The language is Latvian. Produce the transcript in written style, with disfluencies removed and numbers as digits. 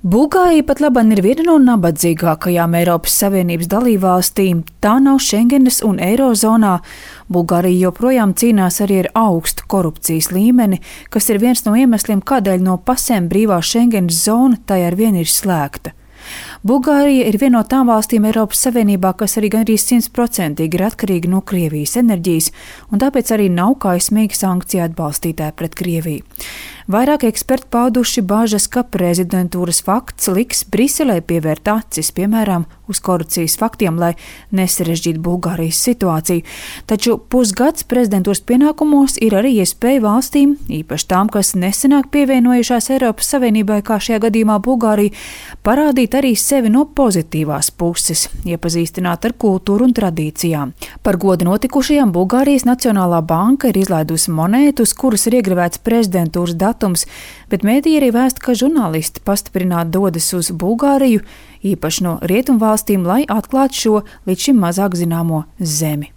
Bulgārija pat laban ir viena no nabadzīgākajām Eiropas Savienības dalībvalstīm. Tā nav Schengenas un Eirozonā. Bulgārija joprojām cīnās arī ar augstu korupcijas līmeni, kas ir viens no iemesliem, kādēļ no pasēm brīvā Schengenas zona tai arvien ir slēgta. Bulgārija ir viena no tām valstīm Eiropas Savienībā, kas arī gandrīz 100% ir atkarīga no Krievijas enerģijas, un tāpēc arī nav kaismīgi sankciju atbalstītāji pret Krieviju. Vairāk eksperti pauduši bāžas, ka prezidentūras fakts liks Briselē pievērt acis, piemēram, uz korupcijas faktiem, lai nesarežģītu Bulgārijas situāciju. Taču pusgads prezidentūras pienākumos ir arī iespēja valstīm, īpaši tām, kas nesenāk pievienojušās Eiropas Savienībai, kā šajā gadījumā Bulgārija, parādīt arī sevi no pozitīvās puses, iepazīstināt ar kultūru un tradīcijām. Par godu notikušajām Bulgārijas Nacionālā banka ir izlaidusi monētu, uz kuras ir iegravēts prezidentūras datums, bet mēdī arī vēsta, ka žurnālisti pastiprināti dodas uz Bulgāriju, īpaši no rietumvalstīm, lai atklātu šo līdz šim mazāk zināmo zemi.